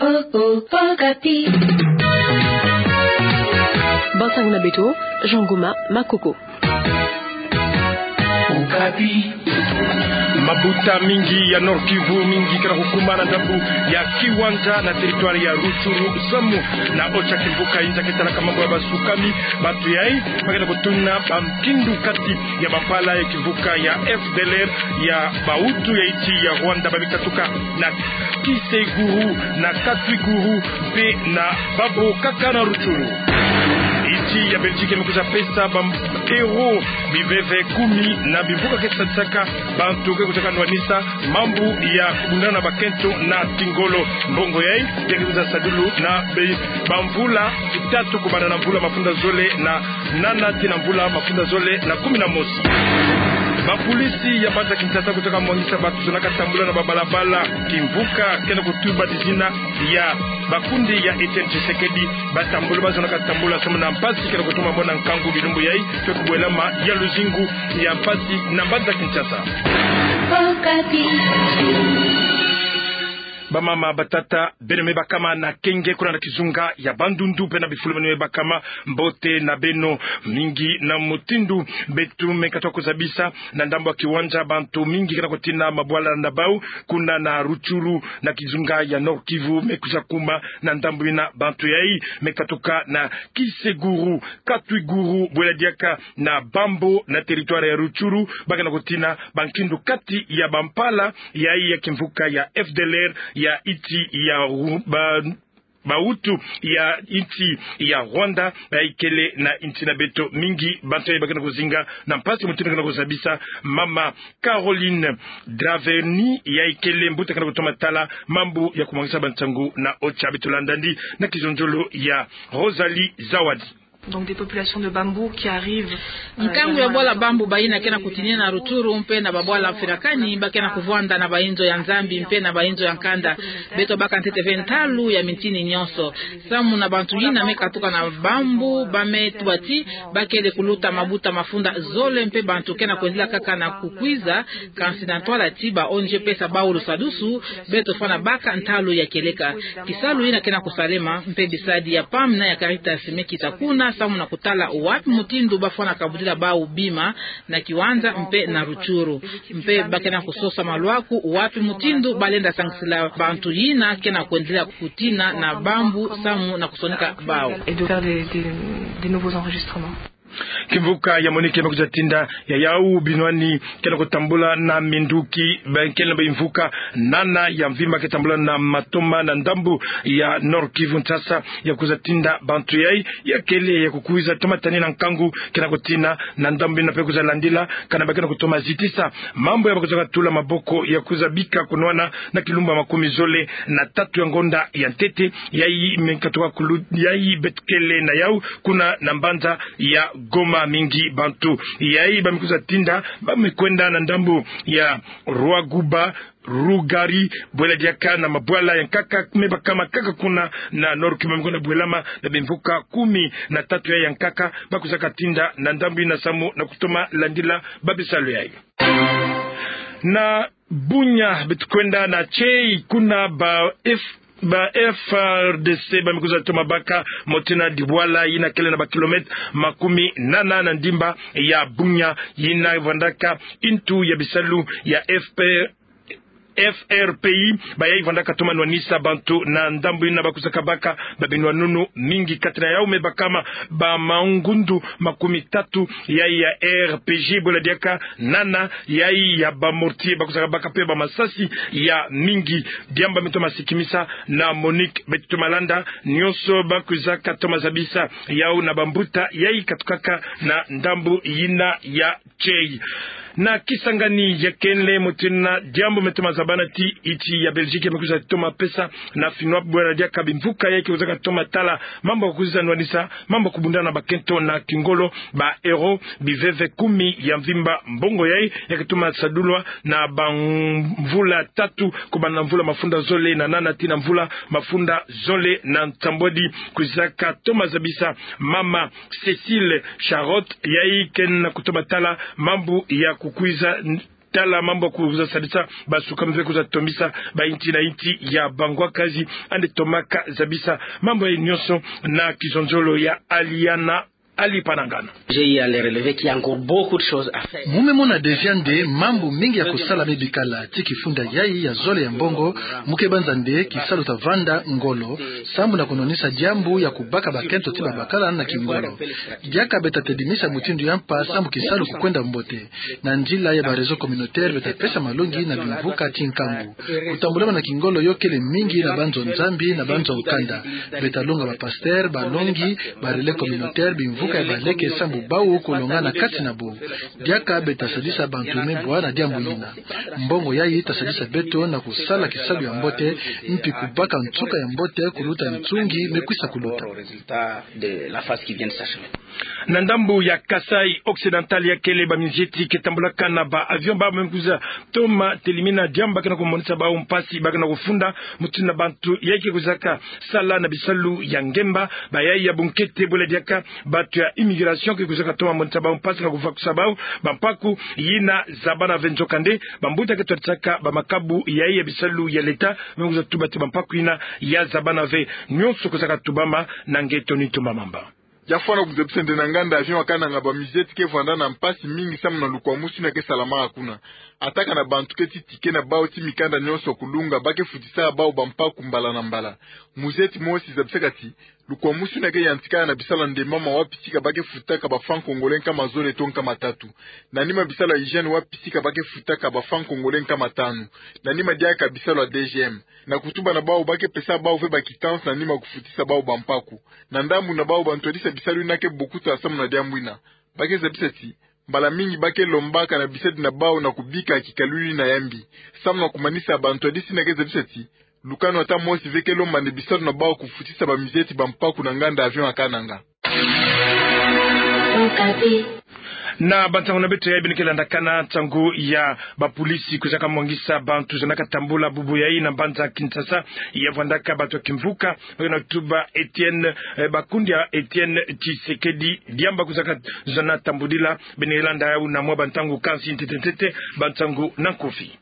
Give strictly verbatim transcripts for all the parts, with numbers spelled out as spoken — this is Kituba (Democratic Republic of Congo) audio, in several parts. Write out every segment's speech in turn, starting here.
Oh, oh, Okapi. Bansangu na beto, Jean Goma Makoko. Okapi. Mabuta mingi ya Nord-Kivu, mingi ke na kukuma na ndambu ya Kiwanja na territoire ya Rutshuru samu na ocha kimvuka inza ke talaka mambu ya basukami. Bantu yai ba ke na kutuna ba nkindu kati ya bampala ya kimvuka ya F D L R ya bahutu ya insi ya Rwanda, ba me katuka na Kiseguru, na Katwiguru, mpe na babo kaka na Rutshuru. Insi ya Belgique me kwiza pesa ba héros biveve kumi na bimvuka ke sadisaka bantu ke kwiza ka nwanisa mambu ya kubundana na bakento na kingolo. Mbongo yai ya ke kwiza sadulu na be-, bamvula tatu, kubanda na mvula mafunda zole na nana tii na mvula mafunda zole na kumi na mosi. Bapolisi ya mbanza Kinshasa kwiza ka mwangisa bantu zonaka tambula na babalabala kimvuka ke na kutuba dizina ya bakundi ya Etienne Tshisekedi. Batambula ba zonaka tambula samu na mpasi ke na kutuma mona nkangu bilumbu yai, mpe kubwelama ya luzingu ya mpasi na mbanza Kinshasa. Okapi. Bamama, batata, beno me bakama na kenge kuna na kizunga ya Bandundu mpe na bifulu beno me bakama, mbote na beno. Mingi na mutindu beto me katuka kuzabisa, na ndambu ya Kiwanja bantu mingi ke na kutina mabwala na bau kuna na Rutshuru na kizunga ya Nord-Kivu me kwiza kuma na ndambu yina. Bantu yai me katuka na Kiseguru, Katwiguru, bwela diaka na Bambo na territoire ya Rutshuru, ba ke na kutina ba nkindu kati ya bampala yai ya kimvuka ya F D L R ya insi ya Ru-, ba, bahutu ya insi ya Rwanda, ba ikele na insi na beto. Mingi bantu yai ba ke na kuzinga na mpasi mutindu ke na kuzabisa. Mama Caroline Draverny, ya ikele mbuta ke na kutoma tala mambu ya kumwangisa bansangu na ocha. Beto landa yandi na kizonzolo ya Rosalie Zawadi. Donc des populations de Bambou qui arrivent, euh, nkangu ya bwala Bambou bayina ke na kutinina na Rutshuru mpe na babwala mfirakani, ba ke na kuvwanda na bainzo ya Nzambi mpe na bainzo ya nkanda. Beto baka ntete ve ntalu ya mintini nyonso. Samu na bantu yina me katuka na Bambou, ba me tuba ti ba kele kuluta mabuta mafunda zole mpe bantu ke na kwendila kaka na kukwiza, kansi na ntwala ti ba O N G pesa bau lusadusu, beto fwana baka ntalu ya kieleka. Kisalu yina ke na kusalema, mpe bisadi ya P A M na ya Caritas me kita kuna samu na kutala wapi mutindu ba fwana kabudila bau bima na Kiwanja mpe na Rutshuru. Mpe ba ke na kusosa maluaku wapi mutindu ba lenda sangisila bantu yina ke na kwendila kutina na Bambou samu na kusonika bau. Et de faire des, des, des nouveaux enregistrements. Kimvuka ya MONUC me kwiza tinda ya yau binwani ke na kutambula na minduki, ba kele na bimvuka nana ya mvimba ke tambula na matoma na ndambu ya Nord-Kivu, Kinshasa, ya kwiza tinda bantu yai ya kele ya kukwiza toma tanina nkangu ke na kutina na ndambu yina mpe kwiza landila kana ba ke na kutoma zitisa mambu ya ba kwiza katula maboko ya kwiza bika kunwana na kilumbu ya makumi zole na tatu ya ngonda ya ntete. Yai me katuka kulu-, yai beto kele na yau kuna na mbanza ya Goma. Mingi bantu yai ba me kwiza tinda ba me kwenda na ndambu ya Rwaguba, Rugari, bwela diaka na mabwala ya nkaka me bakama kaka kuna na Nord-Kivu, me kwenda bwelama na bimvuka kumi na tatu yai ya nkaka, ba kwiza katinda na ndambu yina samu na kutoma landila babisalu yai. Na Bunia beto kwenda na Tchei, kuna ba F-, ba F A R D C ba me kwiza toma baka motina dibwala yina kele na ba kilomètre makumi nana na ndimba ya Bunia, yina vwandaka ntu ya bisalu ya F P, F R P I, ba yai vwandaka toma nwanisa bantu na ndambu yina ba kwiza kabaka ba binwanunu. Mingi kati na yau me bakama ba mangundu makumi tatu yai ya R P G, bwela diaka nana yai ya ba mortier, ba kwiza kabaka mpe ba masasi ya mingi. Diambu me toma sikimisa na MONUC, beto toma landa nyonso ba kwiza katoma zabisa yau na bambuta yai katukaka na ndambu yina ya Tchei. Na Kisangani ya kele motina diambu me toma zabana ti insi ya Belgique me kwiza toma pesa na finwa bwela diaka bimvuka yai ke kwiza katoma tala mambu ya kwiza nwanisa mambu ya kubundana na bakento na kingolo, ba euro biveve kumi ya mvimba. Mbongo yai ya ke toma sadulwa na bamvula tatu, kubanda na mvula mafunda zole na nana tii na mvula mafunda zole na nsambwadi. Kwiza katoma zabisa mama Cécile Charlotte, yai ke na kutoma tala mambu ya kukwiza n-, tala mambu ya kuza sadisa basuka mpe kuza tombisa bainti na inti ya Bangwa Kazi, ande tomaka zabisa mambu ya nyonso na kizonzolo ya Aliana Alipanangana. J'ai eu à le relever qu'il y a encore beaucoup de choses à faire. Mu me mona déjà nde mambu mingi ya kusala me bikala. Ti kifunda yayi ya zole ya mbongo, mu ke banza nde kisalu ta vanda ngolo, sambu na kunwanisa diambu ya kubaka bakento ti babakala na kingolo. Diaka beta tedimisa mutindu ya mpa sambu kisalu kukwenda mbote. Na nzila ya ba réseau communautaire beta pesa malongi na bimvuka ti nkangu. Kutambulama na kingolo yo kele mingi na banzo Nzambi na banzo nkanda. Beta longa ba pasteur, balongi, ba relais communautaire, bimvuka ya baleke sambu bau kulonga na kati na bo. Diaka beta sadisa bantu me bwa na diambu yina. Mbongo yayi ta sadisa beto na kusala kisalu ya mbote, mpi kubaka nsuka ya mbote kuluta nsungi me kwisa kuluta. Na ndambu ya Kasaï Occidental ya kele ba mizieti ke tambulaka na ba avion, ba me kuza toma telimina diambu ba ke na kumonisa bau mpasi ba ke na kufunda, mutindu na bantu yayi ke kuzaka sala na bisalu ya ngemba, bayayi ya bunkete bole diaka bantu ya immigration ke kuzaka toma monisa bau mpasi na kuvakusa bau bampaku yina zabana ve. Nzokande bambuta ke twadisaka ba makabu yayi ya bisalu ya leta me kuza tuba ti bampaku yina ya zabana ve. Nyonso kuzaka tubama na nge Tony Tumba Mamba. Ya fwana kuzabisa nde na nganda avion ya Kananga ba mizieti ke vwanda na mpasi mingi samu na lukwamusu yina ke salamaka kuna. Ataka na bantu ke ti ticket na bau ti mikanda nyonso kulunga, ba ke futisa bau bampaku mbala na mbala. Muzieti mosi zabisaka ti lukwamusu yina ke yantikana na bisalu ya ndembama wapi tika ba ke futaka ba francs congolais nkama zole to nkama tatu. Na nima bisalu ya hygiène wapi tika ba ke futaka ba francs congolais nkama tanu. Na nima diaka bisalu ya D G M. Na kutuba na bau ba ke pesa bau ve ba quittance na nima kufutisa bau bampaku. Na ndambu na bau bantwadisi ya bisalu yina ke bokuta samu na diambu yina. Ba ke zabisa ti mbala mingi ba ke lombaka na bisadi na bau na kubika kikalulu yina ya mbi. Samu na kumanisa, bantwadisi yina ke zabisa ti lukanu ata mosi ve ke lomba nde bisadi na bau kufutisa ba mizieti bampaku na nganda avion ya Kananga. Na bansangu na beto yayi beno ke landakana, nsangu ya bapolisi kuzaka mwangisa bantu zonaka tambula bubu yayi na mbanza Kinshasa, ya vwandaka bantu ya kimvuka ba ke na tuba Etienne, eh, Bakundia Etienne Tshisekedi, diambu kuzaka zona tambudila. Beno landa yawu na mwa bantangu kansi ntete ntete, bansangu na nkufi.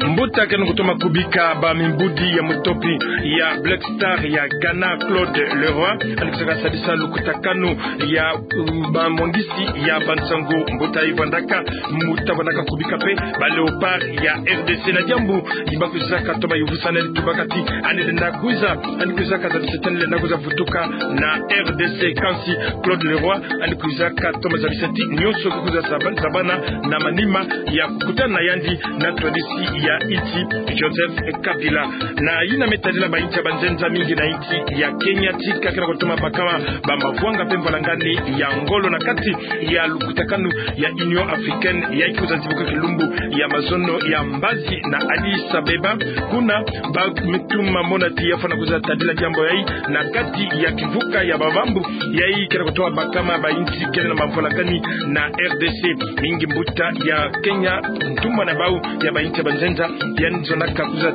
Mbuta ke na kutoma kubika ba mimbudi ya mutopi ya Black Star ya Ghana, Claude Leroy, yandi kuzaka sadisa lukutakanu ya, um, bamwangisi ya bansangu. Mbuta yayi vwandaka, mbuta vwandaka kubika mpe ba Léopards ya R D C. Na diambu yi ba kuzaka toma yuvusana, yandi tubaka ti yandi lenda kwiza, yandi kwizaka zabisa ti yandi lenda kwiza vutuka na R D C. Kansi Claude Leroy yandi kwizaka toma zabisa ti nyonso ke kwiza zaba-, zabana na manima ya kukutana na yandi na ntwadisi ya insi Joseph Kabila. Na yina me tadila ba insi ya banzenza mingi na insi ya Kenya, tika ke na kutoma bakama ba mavwanga mpe mvalangani ya ngolo na kati ya lukutakanu ya Union Africaine, yayi ke kwiza zibuka kilumbu ya mazono ya mbazi na Addis Abeba. Kuna ba me tuma mona ti ya fwana kwiza tadila diambu yayi na kati ya kimvuka ya bavambu, yayi ke na kutoma bakama ba insi kele na mavwalakani na R D C. Mingi mbuta ya Kenya, ntumwa na bau ya ba insi ya banzenza, yandi zonaka kwiza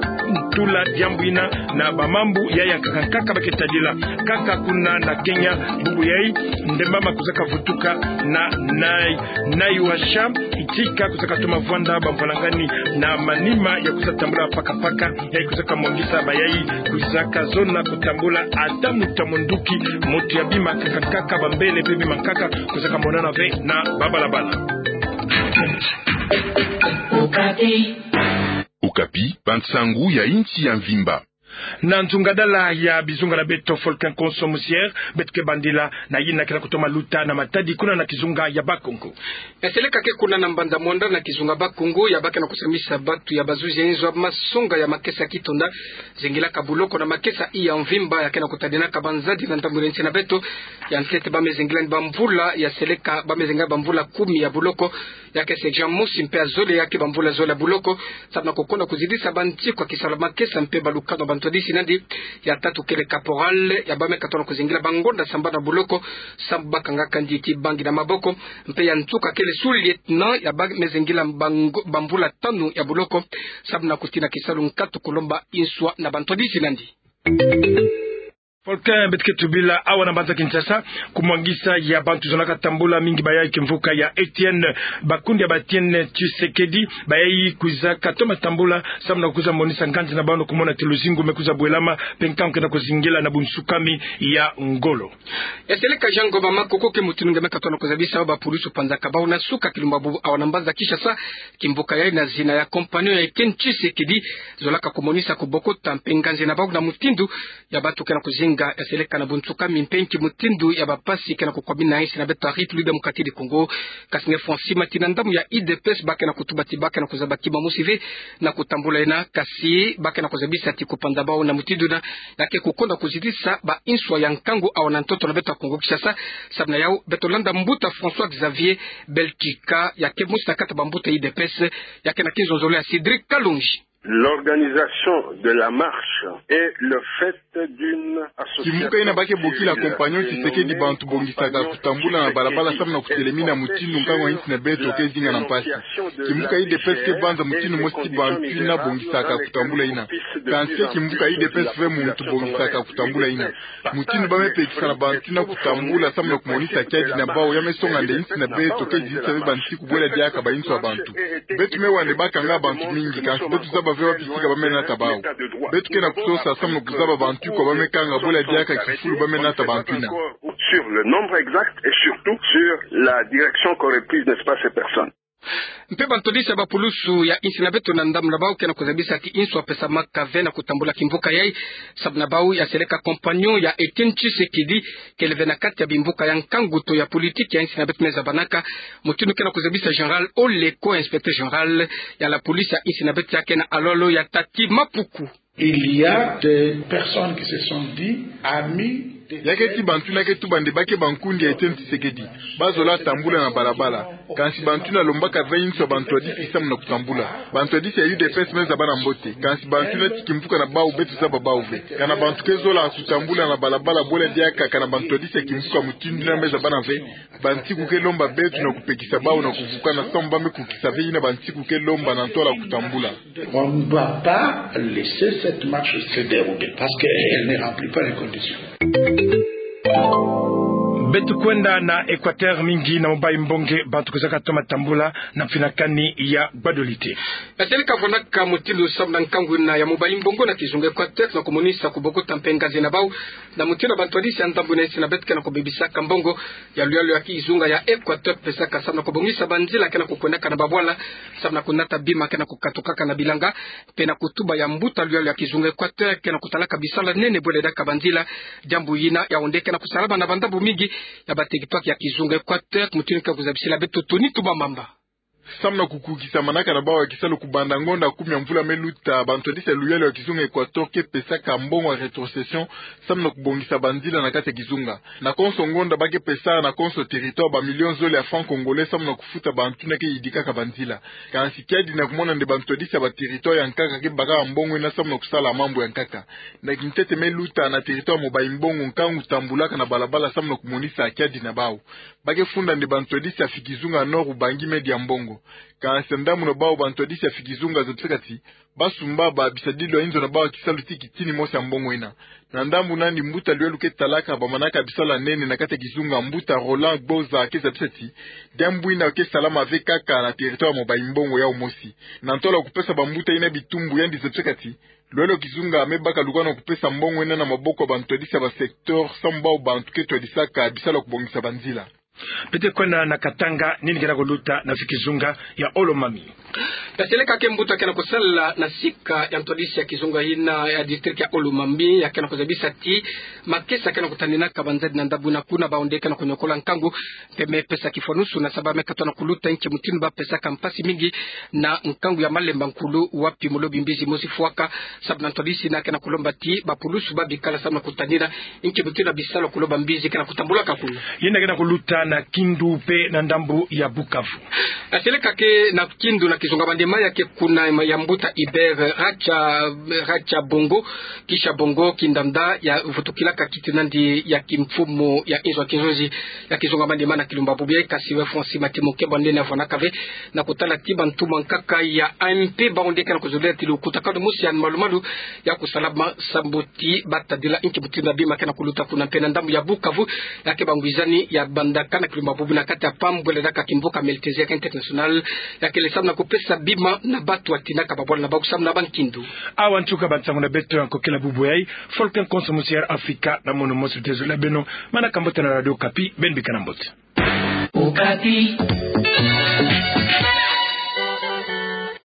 tula diambu yina na bamambu yayi ya nkaka nkaka ba ke tadila. Kaka kuna na Kenya, bubu yayi ndembama kuzaka vutuka na, na, Naivasha, tika kuzaka toma vwanda bamvalangani na manima ya kwiza tambula pakapaka, yayi kwizaka mwangisa bayayi kwizaka zona kutambula ata muta munduki, mutu ya bima nkaka nkaka, bambele mpe bima nkaka, kwizaka monana ve na babalabala. Okapi, bansangu ya insi ya mvimba. Na nzungadala ya bizunga na beto, Folkin Konso Musier, beto ke bandila na yina ke na kutoma luta na matadi kuna na kizunga ya Bas-Congo. Ya seleka ke kuna na mbanza Muanda na kizunga Bas-Congo, ya ba ke na kusamisa bantu ya bazuzi ya inzo ya masonga ya makesa kitonda, zengilaka buloko na makesa ya mvimba, ya ke na kutadinaka banzadi na ntambwila nsi na beto. Ya ntete ba me zengila ni bamvula, ya seleka ba me zengila bamvula kumi ya buloko, ya ke section mosi mpe ya zole, ya ke bamvula zole ya buloko, samu na kukonda kuzidisa bantikwa kisalu ya makesa mpe balukanu ya bantwadisi nandi. Ya tatu kele caporal, ya ba me katono kuzengila bangonda sambanu ya buloko, samu ba kangaka nditi bangi na maboko. Mpe ya nsuka kele sous-lieutenant, ya ba me zengila bango-, bamvula tanu ya buloko, samu na kutina kisalu nkatu kulomba nswa na bantwadisi nandi. Volcan, beto ke tubila awa na mbanza Kinshasa, kumwangisa ya bantu zonaka tambula mingi bayai kimvuka ya Etienne, bakundi ya ba Etienne Tshisekedi bayai kwiza katoma tambula samu na kwiza monisa nganzi na bawu na kumona ti luzingu me kwiza bwelama, mpe nkangu ke na kuzingila na bunsukami ya ngolo. Ya seleka Jean Ngoma Makoko ke mutindu nge me katona kuzabisa ba pulusu panzaka bawu na suka kilumbu bubu awa na mbanza Kinshasa, kimvuka yai na zina ya compagnon ya Etienne Tshisekedi zolaka kumonisa kubokota mpe nganzi na bawu na mutindu ya bantu ke na kuzinga ya seleka na bunsukami mpe nki mutindu ya bapasi ke na kukwabina insi na beto ya République Démocratique du Congo. Kasi nge Francis Mati na ndambu ya U D P S ba ke na kutuba ti ba ke na kuzaba kima mosi ve na kutambula yina, kasi ba ke na kuzabisa ti kupanza bawu na mutindu yina ya ke kukonda kuzitisa ba inswa ya nkangu awa na ntoto na beto ya Kongo Kinshasa. Samu na yawu beto landa mbuta François Xavier Belkika, ya ke mosi na kati ya bambuta ya U D P S, ya ke na kinzonzolo ya Cédric Kalonji. L'organisation de la marche est le fait d'une association civile. Kimvuka yina ba ke bokila compagnon Tshisekedi, bantu bongisaka kutambula na balabala samu na kutelemina mutindu nkangu ya insi na beto ke zinga na mpasi. Kimvuka U D P S ke banza mutindu mosi ti bantu yina bongisaka kutambula yina. Kansi kimvuka U D P S ve muntu bongisaka kutambula yina. Mutindu ba me pekisa na bantu yina kutambula samu na kumonisa kiadi na bawu ya me songa nde insi na beto ke zitisa ve bansiku bwela diaka ba inswa ya bantu. Beto me wa nde ba kanga bantu mingi, kansi beto zaba ve wapi sika ba me nata bawu. Beto ke na kusosa samu na kuzaba bantu kwa ba me kanga bwela diaka kifulu ba me nata bantu yina. Sur le nombre exact et surtout sur la direction qu'auraient prise, n'est-ce pas, ces personnes. Mpe bantwadisi ya bapulusu ya insi na beto na ndambu na bawu ke na kuzabisa ti inswa pesamaka ve na kutambula kimvuka yai, samu na bawu ya seleka compagnon ya Etienne Tshisekedi kele ve na kati ya bimvuka ya nkangu to ya politiki ya insi na beto me zabanaka. Mutindu ke na kuzabisa Général Oleko, inspecteur général ya la police ya insi na beto, ya ke na alolo ya Tati Mapuku. Il y a des personnes qui se sont dit amis de... Ya ke ti bantu yina ke tuba nde ba ke bankundi ya Etienne Tshisekedi. Ba zola tambula na balabala. Kansi bantu yina lombaka ve inswa bantwadisi samu na kutambula. Bantwadisi ya U D P S me zaba na mbote. Kansi bantu yina ti kimvuka na bawu beto zaba bawu ve. Kana bantu ke zola kutambula na balabala bwela diaka kana bantwadisi ya kimvuka mutindu yina me zaba na ve, bansiku ke lomba beto na kupekisa bawu na kuvukana samu ba me kukisa ve yina bansiku ke lomba na ntwala kutambula. On ne doit pas laisser cette marche se dérouler parce qu'elle ne remplit pas les conditions. Beto kwenda na Équateur, mingi na Mobayi Mbonge, bantu kwizaka toma tambula na mfinakani ya gbadolite. Esele kavwandaka mutindu samu na nkangu yina ya Mobayi Mbonge na kizunga Équateur na kumonisa kubokota mpe nganzi na bawu na mutindu bantwadisi ya ndambu yina insi na beto ke na kubebisaka mbongo ya luyalu ya kizunga ya Équateur pesaka samu na kubongisa banzila ke na kukwendaka na babwala, samu na kunata bima ke na kukatukaka na bilanga, mpe na kutuba ya mbuta luyalu ya kizunga Équateur ke na kutalaka bisalu ya nene bwela diaka banzila. Diambu yina yawu nde ke na kusalama na bandambu mingi ya bateritware ya kizunga Équateur, mutindu ke kuzabisila beto Tony Tubamamba. Samu na kukukisa manaka na bawu ya kisalu kubanda ngonda kumi ya mvula me luta, bantwadisi ya luyalu ya kizunga Équateur ke pesaka mbongo ya rétrocession samu na kubongisa banzila na kati ya kizunga. Na konso ngonda ba ke pesa na konso territoire ba millions zole ya francs congolais samu na kufuta bantu yina ke yidikaka banzila. Kansi kiadi na kumona nde bantwadisi ya baterritware ya nkaka ke bakaka mbongo yina samu na kusala mambu ya nkaka. Na kintete me luta na territoire ya Mobayi Mbonge nkangu tambulaka na balabala samu na kumonisa kiadi na bawu. Ba ke funda nde bantwadisi ya fikizunga Nord-Ubangi me dia mbongo. Kansi ndambu na bawu bantwadisi ya fikizunga zabisaka ti ba sumba ba bisadilu ya inzo na bawu ya kisalu ti kitini mosi ya mbongo yina. Na ndambu nani mbuta luyalu ke talaka bamanaka bisalu ya nene na kati ya kizunga, mbuta Roland Gboza, ke zabisa ti diambu yina ke salama ve kaka na territoire ya Mobayi Mbonge yawu mosi. Na ntwala kupesa bambuta yina bitumbu, yandi zabisaka ti luyalu ya kizunga me baka lukwana kupesa mbongo yina na maboko ya bantwadisi ya ba secteur samu bawu bantu ke twadisaka bisalu ya kubongisa banzila. Beto kwenda na Katanga, nini ke na kuluta na fikizunga ya Olomami? Taseleka ke mbuta ke na kusala na sika ya ntwadisi ya kizunga yina ya district ya Olomami, ya ke na kuzabisa ti makesa ke na kutaninaka banzadi na ndambu yina kuna, bawu nde ke na kuniokola nkangu, mpe me pesa kifwanusu na samu ba me katuka na kuluta nki mutindu ba pesaka mpasi mingi na nkangu ya Malemba Nkulu, wapi mulobi mbizi mosi fwaka. Samu na ntwadisi yina ke na kulomba ti bapulusu ba bikala samu na kutanina nki mutindu bisalu ya kuloba mbizi ke na kutambulaka kuna. Yina ke na kuluta na Kindu mpe na ndambu ya Bukavu. Aseleka ke na Kindu na kizunga bande ma ya ke kuna ya mbuta Iber Racha, Racha Bongo, Kisha Bongo Kindanda, ya vutukilaka kiti nandi ya kimfumu ya inzo ya kinzonzi ya kizunga bande ma na Kilumba Bubu ya, kasi we Francis Matimo Kebande na vwanaka ve na kutala ti bantu mwankaka ya A M P bawu nde ke na kuzolele ti lukutakanu mosi ya malumalu ya kusala ma sambu ti batadila inki mutindu na bima ke na kuluta kuna mpe na ndambu ya Bukavu, ya ke bangwizani ya bandaka na Kilumba Bubu na kati ya pambwela daka kimvuka Meltesi ya ke international, ya kele samu na kupesa bima na batu atinaka babwala na bakusambana ba nkindu. Awa ntuka bansangu na beto ya nkokila bubu yayi, foloke nkonso mosi ya Air Afrika na mono mosi tuzolele beno, manaka mbote na Radio Okapi, beno bika na mbote. Okapi.